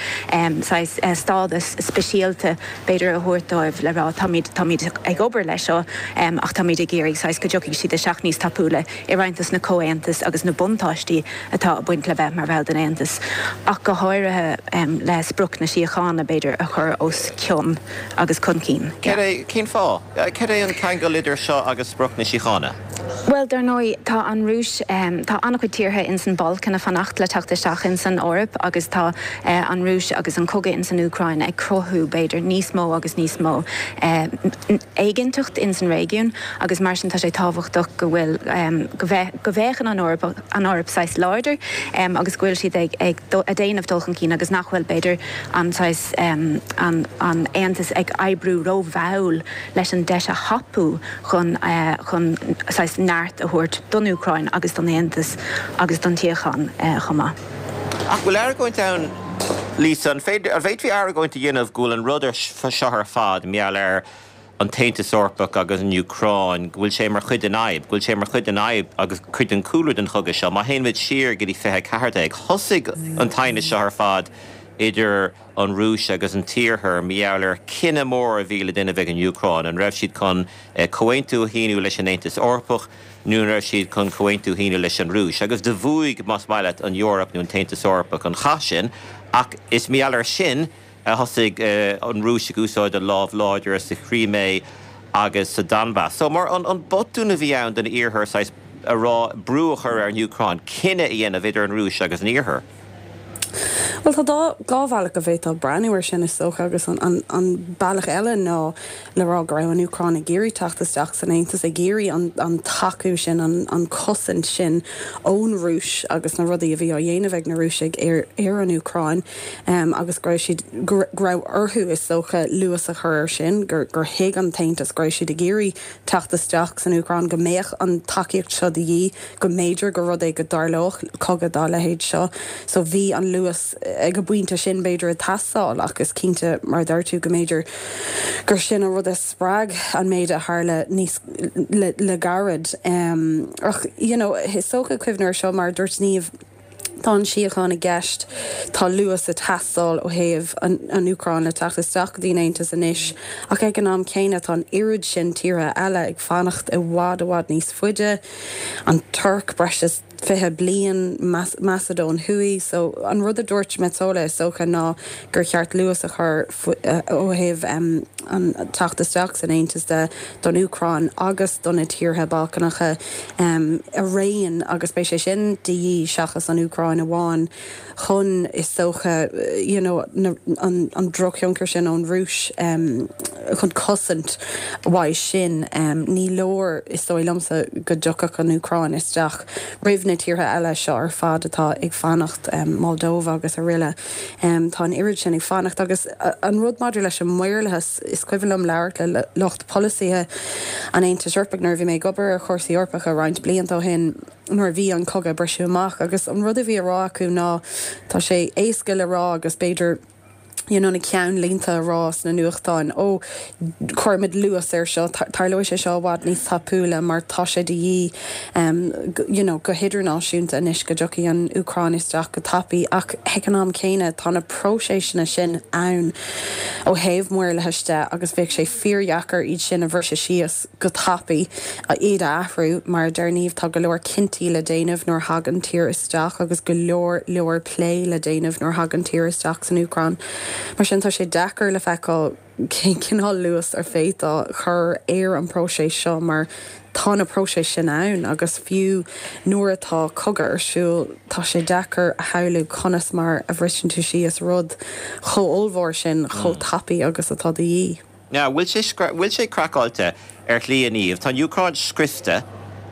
saghas stádas speisialta b'fhéidir a thabhairt dóibh le rá táimid, táimid ag obair leis seo ach táimid ag iarraidh saghas go dtiocfaidh siad isteach níos tapúla i roinnt dos na comhaontais agus na buntáistí atá ag baint le bheith mar bhall den Aontas ach go háirithe le sprioc na síochána b'fhéidir a chur os cionn agus chun cinn. Cad é, cén fáth? Cad é an ceangal idir seo agus sprioc na síochána? Bhuel, dar ndóigh, tá an Rúis, tá an-chuid tíortha ins an Balcáin ag fanacht le teacht isteach ins an Eoraip agus tá an Rúis agus an cogadh ins an Úcráin ag cruthú, b'fhéidir, níos mó agus níos mó éiginnteacht ins an réigiún agus mar sin tá sé tábhachtach go bhfuil, go go bhféachann an Eoraip, an Eoraip saghas láidir agus go bhfuil siad ag, ag déanamh dul chun cinn agus nach bhfuil, b'fhéidir, an saghas, an, an Aontas ag oibriú rómhall leis an deis a thapú chun, chun saghas neart a thabhairt don Úcráin agus don Aontas agus don tsíocháin chomh maith. Ach bhfuil argóint ann, Lisa, an féidir, an bhféadfaí argóint a dhéanamh go bhfuil an rud seo ar fad mar gheall ar an tAontas Eorpach agus an Úcráin, go bhfuil sé mar chuid den fhadhb, go bhfuil sé mar chuid den fhadhb agus cuid den chúlra den chogadh seo. Má théann muid siar go dtí fiche a ceathair déag, thosaigh an t-aighneas seo ar fad idir an Rúis agus an tIarthar mar gheall ar chinneadh mór a bhí le déanamh ag an Úcráin, an raibh siad chun comhaontú a shíniú leis an Aontas Eorpach nó an raibh siad chun comhaontú a shíniú leis an Rúis. Agus do bhuaigh, más maith leat, an Eoraip nó an tAontas Eorpach an chath sin, ach is mar gheall air sin a thosaigh an Rúis ag úsáid a lámh láidir sa Chrimé agus sa Donbas. So mar an an botún a bhí ann don Iarthar saghas a rá, brú a chur ar an Úcráin cinneadh a dhéanamh idir an Rúis agus an Iarthar. Bhuel tá dá dhá bhealach go bhféadfá breathnú air sin is dócha agus an an an bealach eile ná le rá go raibh an Úcráin ag iarraidh teacht isteach san Aontas ag iarraidh an an tacú sin an an cosaint sin ón Rúis agus na rudaí a bhí á dhéanamh ag na Rúisigh ar ar an Úcráin um, agus go raibh siad go raibh orthu is dócha luas a chur air sin gur gur thuig an tAontas go raibh siad ag iarraidh teacht isteach san Úcráin go mbeadh an tacaíocht seo de dhíth go mb'fhéidir gur rud é go dtarlódh cogadh dá leithéid seo so bhí an luas ag an bpointe sin b'fhéidir ag teastáil ach is cinnte mar deir tú go mb'fhéidir gur sin an rud a spreag an méid a tharla níos le, le gairid. Um, ach you know, is dócha cuimhneamh air seo mar dúirt Niamh Tá an síocháin i gceist tá luas ag teastáil ó thaobh an, an Úcráin le teacht isteach go dtí an Aontas anois ach ag an am céanna tá an oiread sin tíortha eile ag fanacht i bhfad i bhfad níos faide an Tuirc breis is fiche bliain Macadóin Thuaidh, so an rud a dúirt Metsola is dócha ná gur cheart luas a chur ó thaobh um, an teacht isteach san Aontas de don Úcráin agus do na tíortha Balcánacha um, araon agus beidh sé sin de dhíth seachas an Úcráin amháin chun is dócha you know, na, an, an drochthionchar sin ón Rúis um, chun cosaint uaidh sin um, ní leor is dóigh liomsa go dtiocfadh an Úcráin isteach roimh na tíortha eile seo ar fad atá ag fanacht um, Moldova agus araile. Um, tá an oiread sin ag fanacht agus an rud maidir leis an maorlathas is cuimhin liom labhairt le lucht polasaithe an Aontais Eorpaigh nuair a bhí mé ag obair ar chúrsaí Eorpacha roinnt blianta ó shin nuair a bhí an cogadh ag briseadh amach agus an rud a bhí á rá acu ná tá sé éasca le rá agus b'fhéidir you know, na ceannlínte a rá sna nuachtáin ó cuirfimid luas air seo tarlóidh sé seo i bhfad níos tapúla mar tá sé de dhíth um, you know, go hidirnáisiúnta anois go dtiocfaidh an Úcráin isteach go tapaidh ach ag an am céanna tá na próisesanna sin ann ó thaobh maorlathais de agus bheadh sé fíordheacair iad sin a bhriseadh síos go tapaidh iad a athrú mar deir Niamh tá go leor cinntí le déanamh nuair a thagann tír isteach agus go leor leor plé le déanamh nuair a thagann tír isteach san Úcráin. Mar sin tá sé deacair le feiceáil cén cineál luas ar féidir a chur ar an próiseas seo mar tá na próisis sin ann agus fiú nuair atá cogadh ar siúl tá sé deacair a shamhlú conas mar a bhriseann tú síos rud chomh ollmhór sin chomh tapaidh agus atá de dhíth. Now, bhfuil sé bhfuil sé craiceáilte ar shlí a Niamh, Tá an Úcráin scriosta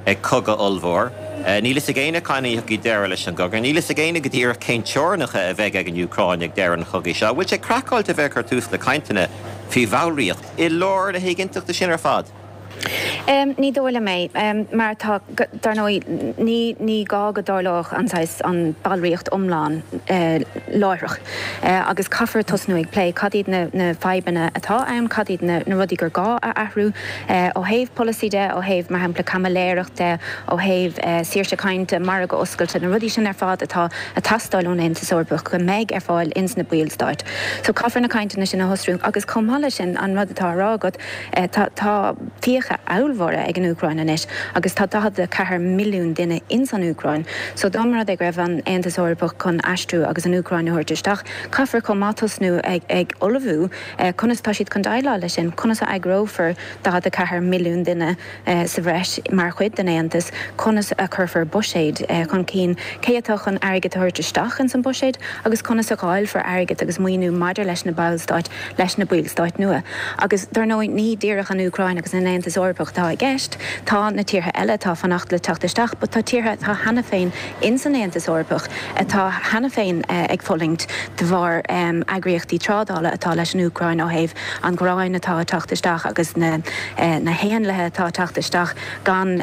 ag cogadh ollmhór. Níl a fhios ag éinne cathain a thiocfaidh deireadh leis an gcogadh. Níl a fhios ag éinne go díreach cén teorainneacha a bheidh ag an Úcráin ag deireadh an chogaidh seo. Bhfuil sé craiceáilte a bheith ag cur tús le cainteanna faoi bhallraíocht i lár na héiginnteachta sin ar fad? Ní dóigh liom é, mar tá, dar ndóigh, ní ní gá go dtarlódh an saghas an ballraíocht iomlán láithreach agus caithfear tosnú ag plé cad iad na na fadhbanna atá ann, cad iad na na rudaí gur gá a athrú ó thaobh polasaí de, ó thaobh mar shampla caimiléireacht de, ó thaobh saoirse cainte, margadh oscailte, na rudaí sin ar fad atá ag teastáil ón Aontas Eorpach go mbeidh ar fáil ins na ballstáit. So caithfear na cainteanna sin a thosrú agus chomh maith leis sin an rud atá á rá agat, tá tá fiacha ollmhóra ag an Úcráin anois agus tá daichead a ceathair milliún duine ins an Úcráin. So dá mba rud é go raibh an Aontas Eorpach chun aistriú agus an Úcráin a thabhairt isteach, caithfear chomh maith tosnú ag ag ullmhú conas tá siad chun déileáil leis sin, conas a eagrófar daichead a ceathair milliún duine sa bhreis mar chuid den Aontas, conas a chuirfear buiséad chun cinn, cé atá chun airgead a thabhairt isteach ins an buiséad agus conas a dháilfear airgead agus maoiniú maidir leis na ballstáit, leis na ballstáit nua. Agus dar ndóigh ní díreach an Úcráin agus an Aontas Eorpach atá i gceist, tá na tíortha eile atá ag fanacht le teacht isteach, but tá tíortha atá cheana féin ins an Aontas Eorpach atá cheana féin ag fulaingt de bharr eagraíochtaí trádála atá leis an Úcráin ó thaobh an ghráin atá ag teacht isteach agus na na héanlaithe atá ag teacht isteach gan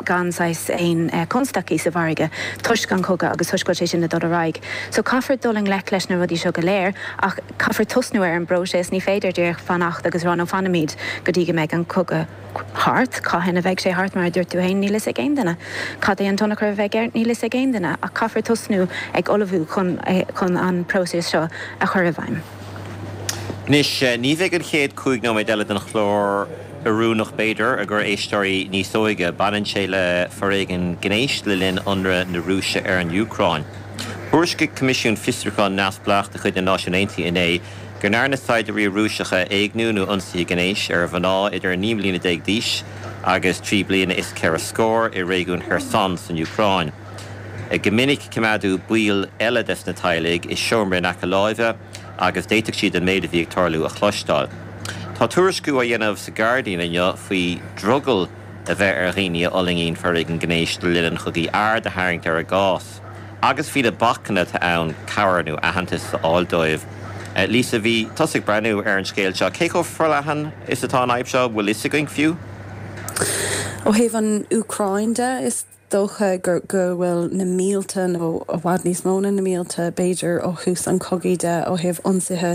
gan saghas aon constaicí sa mhargadh toisc an cogadh agus toisc go bhfuil sé sin ag dul ar aghaidh. So caithfear dul i ngleic leis na rudaí seo go léir ach caithfear tosnú ar an bpróiseas, ní féidir díreach fanacht agus rá no fanfaimid go dtí go mbeidh an cogadh thart. Cathain a bheidh sé thart, mar a dúirt tú féin, níl fhios ag aon duine. Cad é an tionchar a bheidh air, níl fhios ag aon duine, ach caithfear tosnú ag ullmhú chun chun an próiseas seo a chur i bhfeidhm. Anois, ní bheidh an chéad cúig nóiméad eile den chlár oiriúnach, b'fhéidir, i gcomhair éisteoirí níos óige. Baineann sé le foréigean gnéis le linn ionradh na Rúise ar an Úcráin. Thuairiscigh Coimisiún Fiosrúcháin neamhspleách de chuid na Náisiún Aontaithe inné go ndearna saighdiúirí Rúiseacha éigniú nó ionsaithe gnéis ar mhná idir naoi mbliana déag d'aois agus trí bliana is ceithre scór i réigiún Kherson san Úcráin. Go minic coimeádadh baill eile des na teaghlaigh i seomra in aice láimhe agus d'fhéadfadh siad an méid a bhí ag tarlú a chloisteáil. Tá tuairisciú á dhéanamh sa Guardian inniu faoi drogall a bheith ar dhaoine a fhulaingíonn foréigean gnéis le linn an chogaidh aird a tharraingt ar a gcás agus faoi na bacanna atá ann cabhair nó aitheantas a fháil dóibh. Lisa, bhí tusa ag breathnú ar an scéal seo. Cé chomh forleathan is atá an fhadhb seo, bhfuil fhios againn fiú? Ó thaobh an Úcráin de, is dócha go go bhfuil na mílte nó i bhfad níos mó ná na mílte b'fhéidir ó thús an chogaidh de ó thaobh ionsaithe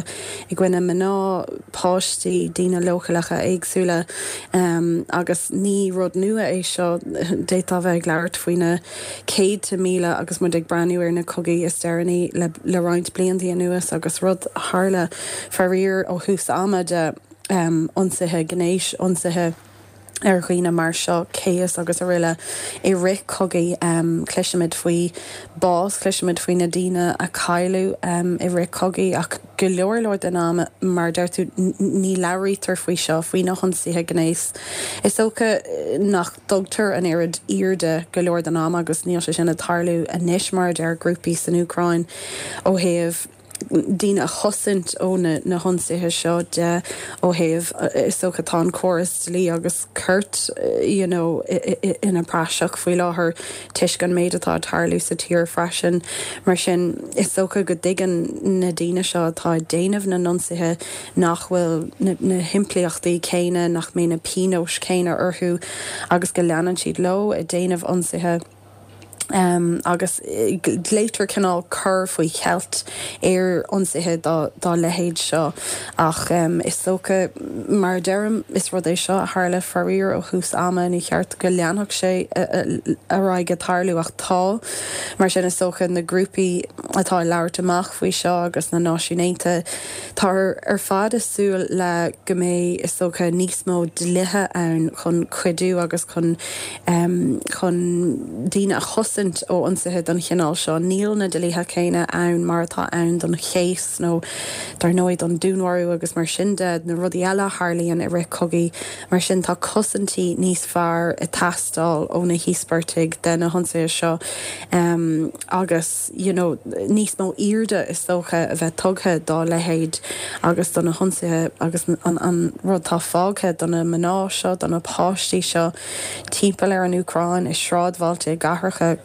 i gcoinne mná, páistí, daoine leochaileacha éagsúla agus ní rud nua é seo, d'fhéadfá bheith ag labhairt faoi na céadta míle agus muid ag breathnú ar na cogaí is deireanaí le le roinnt blianta anuas agus rud a tharla faraor ó thús ama de ionsaithe gnéis, ionsaithe. ar dhaoine mar seo, céas agus araile I rith cogaí cloisimid faoi bás, cloisimid faoi na daoine a cailleadh i rith cogaí ach go leor leor den am, mar a deir tú, ní labhraítear faoi seo, faoi na hionsaithe gnéis. Is dócha nach dtugtar an oiread airde go leor den am agus níl sé sin ag tarlú anois mar a deir grúpaí san Úcráin ó thaobh daoine a chosaint ó na hionsaithe seo de ó thaobh, is dócha tá an córas dlí agus cirt you know ina praiseach faoi láthair toisc an méid atá ag tarlú sa tír freisin. Mar sin is dócha go dtuigeann na daoine seo atá ag déanamh na n-ionsaithe nach bhfuil na himpleachtaí céanna, nach mbeidh na pionóis céanna orthu agus go leanann siad leo ag déanamh ionsaithe. Agus glaoitear cineál cur faoi cheilt ar ionsaithe dá leithéid seo. Ach is dócha, mar a deirim, is rud é seo a tharla faraor ó thús ama, ní cheart go leanfadh sé ar aghaidh ag tarlú ach tá. Mar sin is dócha na grúpaí atá ag labhairt amach faoi seo agus na Náisiúin Aontaithe, táthar ar fad ag súil le go mbeidh is dócha níos mó dlíthe ann chun cuidiú agus chun chun daoine a chosaint ó ionsaithe den chineál seo. Níl na dlíthe céanna ann mar atá ann don chéas nó dar ndóigh don dúnmharú agus mar sin de, na rudaí eile a tharlaíonn i rith cogaí. Mar sin tá cosaintí níos fearr ag teastáil ó na híospartaigh de na hionsaithe seo agus you know níos mó airde is dócha a bheith tugtha dá leithéid agus do na hionsaithe agus an an rud atá fágtha do na mná seo, do na páistí seo timpeall ar an Úcráin, i sráidbhailte, i gcathracha,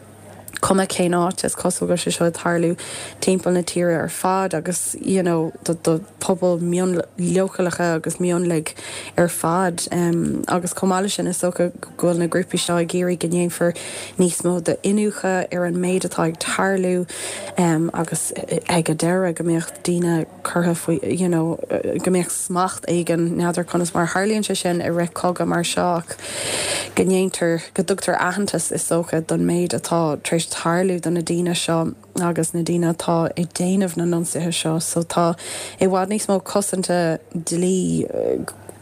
cuma cén áit, is cosúil go bhfuil sé seo ag tarlú timpeall na tíre ar fad agus you know do do pobail mion leochaileacha agus mionlaigh ar fad. Agus chomh maith leis sin is dócha go bhfuil na grúpaí seo ag iarraidh go ndéanfar níos mó d'iniúchadh ar an méid atá ag tarlú agus ag an deireadh go mbeadh daoine curtha faoi you know go mbeadh smacht éigin, n'fheadar conas mar a tharlaíonn sé sin i rith cogadh mar seo ach go ndéantar, go dtugtar aitheantas is dócha don méid atá tar éis tarlú do na daoine seo agus na daoine atá ag déanamh na n-ionsaithe seo so tá i bhfad níos mó cosanta dlí,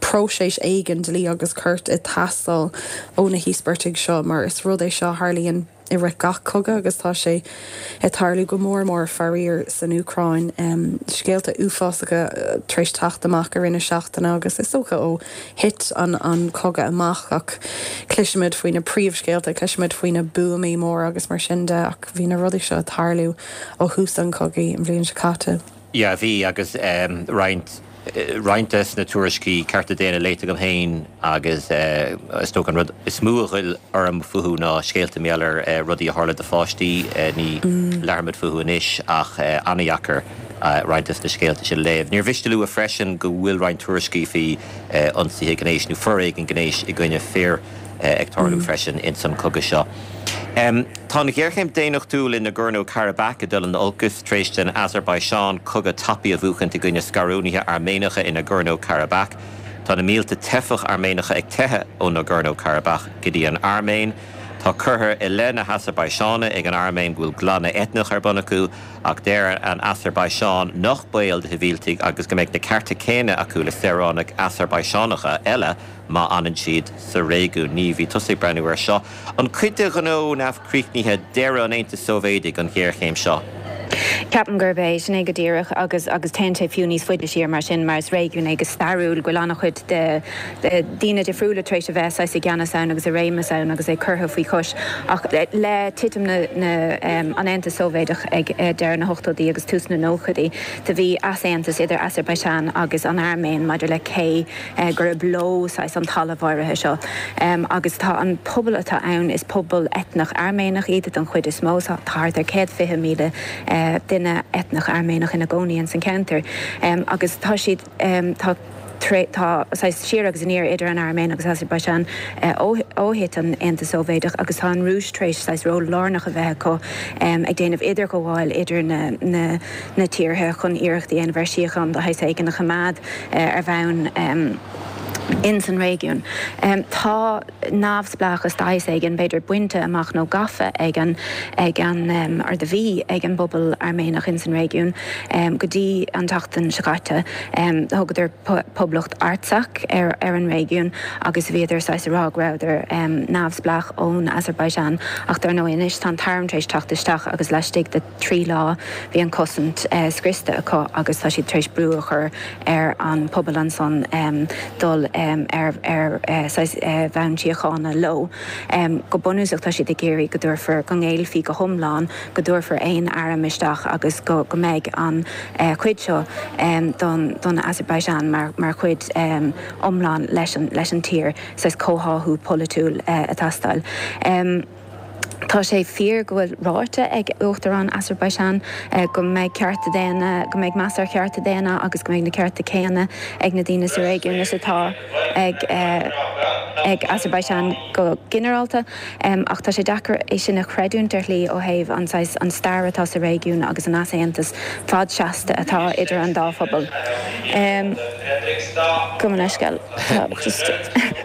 próiseas éigin dlí agus cirt ag teastáil ó na híospartaigh seo mar is rud é seo a tharlaíonn i rith gach cogadh agus tá sé ag tarlú go mór mór faraor san Úcráin. Scéalta uafásacha tar éis teacht amach i rith na seachtaine agus is dócha ó thit an an cogadh amach ach cloisimid faoi na príomhscéalta, cloisimid faoi na buamaí móra agus mar sin de ach bhí na rudaí seo ag tarlú ó thús an chogaidh an bhliain seo caite. Yeah, bhí agus roinnt roinnt des na tuairiscí cearta daonna léite agam féin agus is dócha an rud is mó a ghoill orm fúthu ná scéalta mar gheall ar rudaí a tharla do pháistí, ní labhróimid fúthu anois ach an-dheacair roinnt des na scéalta sin a léamh. Níor mhiste a lua freisin go bhfuil roinnt tuairiscí faoi ionsaithe gnéis nó foréigean gnéis i gcoinne fir ag tarlú freisin ins an cogadh seo. Tá an ghéarchéim daonnachtúil i Nagorno-Karabakh ag dul in olcas tar éis don Asarbaiseáin cogadh tapaidh a bhuachaint i gcoinne scarúnaithe Airméanacha i Nagorno-Karabakh. Tá na mílte teifeach Airméanacha ag teitheadh ó Nagorno-Karabakh go dtí an Airméin. Tá curtha i leith na hAsarbaiseáine ag an Airméin go bhfuil glanadh eitneach ar bun acu ach deir an Asarbaiseáin nach baol do shibhialtaigh agus go mbeidh na cearta céanna acu le saoránaigh Asarbaiseánacha eile má fhanann siad sa réigiún. Niamh, bhí tusa ag breathnú air seo. An cuid de ghnó neamhchríochnaithe deireadh an Aontais Sóivéadaigh an ghéarchéim seo? Ceapaim gurb é sin é go díreach agus agus téann sé fiú níos faide siar mar sin mar is réigiún é go stairiúil go bhfuil an-chuid de daoine difriúla tar éis a bheith saghas i gceannas ann agus i réimeas ann agus é curtha faoi chois ach le titim na na an Aontas Sóivéadach ag deireadh na hochtóidí agus tús na nóchaidí do bhí easaontas idir Asarbaisean agus an Airméin maidir le cé gurb leo saghas an talamh áirithe seo agus tá an pobal atá ann is pobal eitneach Airméanach iad den chuid is mó tá thart ar céad fiche míle duine eitneach Airméanach ina gcónaí ins an ceantar agus tá siad tá tá saghas siar agus aniar idir an Airméin agus Asarbaisean ó ó thit an Aontas Sóivéadach agus tá an Rúis tar éis saghas ról lárnach a bheith acu ag déanamh idirghabháil idir na na na tíortha chun iarracht a dhéanamh ar síocháin de shaghas éigin a choimeád ar bhonn ins an réigiún. Tá neamhspleáchas de shaghas éigin, b'fhéidir, bainte amach nó gafa ag an ag an or do bhí ag an bpobal Airméanach ins an réigiún go dtí an tseachtain seo caite. Thugadar Poblacht Artsakh ar ar an réigiún agus bhíodar saghas ag rá go rabhadar neamhspleách ón Azerbaijan ach dar ndóigh anois tá an t-arm tar éis teacht isteach agus laistigh de trí lá bhí an cosaint scriosta acu agus tá siad tar éis brú a chur ar an pobal ansan dul ar ar saghas bhonn síochána leo. Go bunúsach tá siad ag iarraidh go dtabharfar, go ngéillfí go hiomlán, go dtabharfar aon arm isteach agus go go mbeidh an chuid seo don don Azerbaijan mar mar chuid iomlán leis an leis an tír, saghas comhtháthú polaitiúil ag teastáil. Tá sé fíor go bhfuil ráite ag Uachtarán Azerbaijan go mbeidh cearta daonna, go mbeidh meas ar chearta daonna agus go mbeidh na cearta céanna ag na daoine sa réigiún is atá ag ag Azerbaijan go ginearálta. Ach tá sé deacair é sin a chreidiúint ar shlí ó thaobh an saghas an stair atá sa réigiún agus an easaontas fadseasta atá idir an dá phobal. Gabh mo leithscéal, tá just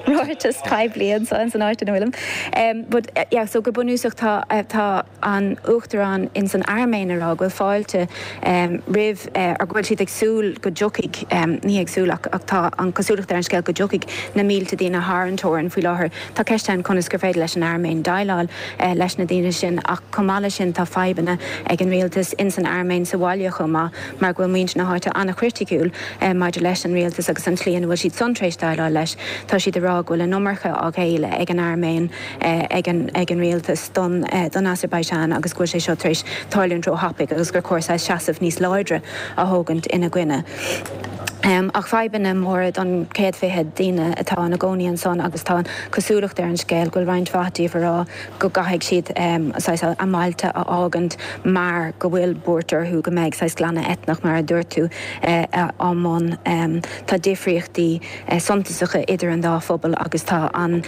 ráiteas poiblí anseo san áit ina bhfuilim. But yeah, so go bunúsach tá tá an Uachtarán ins an Airméin ag rá go bhfuil fáilte roimh or go bhfuil siad ag súil go dtiocfaidh, ní ag súil ach ach tá an cosúlacht ar an scéal go dtiocfaidh na mílte daoine thar an teorainn faoi láthair. Tá ceist ann conas gur féidir leis an Airméin déileáil leis na daoine sin ach chomh maith leis sin tá fadhbanna ag an rialtas ins an Airméin sa bhaile chomh maith mar go bhfuil muintir na háite an-chriticiúil maidir leis an rialtas agus an tslí ina bhfuil siad san tar éis déileáil leis. Tá siad ag rá go bhfuil an iomarca á ghéilleadh ag an Airméin ag an ag an rialtas don don Azerbaijan agus go bhfuil sé seo tar éis tarlúint róthapaidh agus gur chóir saghas seasamh níos láidre a thógaint ina gcoinne. Ach fadhbanna móra don céad fiche daoine atá ina gcónaí ansan agus tá an cosúlacht ar an scéal go bhfuil roinnt mhaith díobh ag rá go gcaithfidh siad saghas a mbailte a fhágaint mar go bhfuil buairt orthu go mbeidh saghas glanadh eitneach mar a dúirt tú á mbun. Tá difríochtaí suntasacha idir an dá phobal agus tá an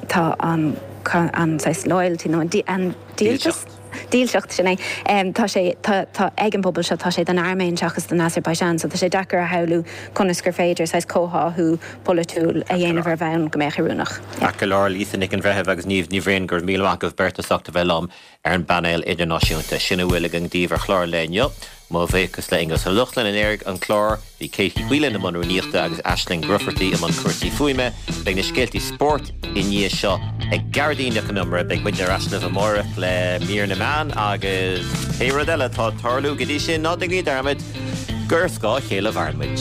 tá an an saghas loyalty nó an dílseacht dílseacht sin é tá sé tá tá ag an bpobal seo tá sé don Airméin seachas don Azerbaijan so tá sé deacair a shamhlú conas gur féidir saghas comhtháthú polaitiúil a dhéanamh ar bhonn go mbeadh oiriúnach. Ceart go leor Lisa Nic an Bhreithimh agus Niamh Ní Bhriain go raibh míle maith agaibh beirt as ucht a bheith liom ar an bpainéal idirnáisiúnta. Sin a bhfuil againn daoibh ar chlár an lae inniu. Mo bhuíochas le Aonghus Ó Lochlainn a léirigh an clár. Bhí Katie Whelan i mbun rúnaíochta agus Aisling Grufferty i mbun cúrsaí fuaime. Beidh na scéaltaí spóirt i ndiaidh seo ag Gearóidín Nic Con Iomaire. Beidh muidne ar ais libh amárach le mír na meán agus pé rud eile atá ag tarlú go dtí sin, ná déanaigí dearmad gur ar scáth a chéile a mhaireann muid.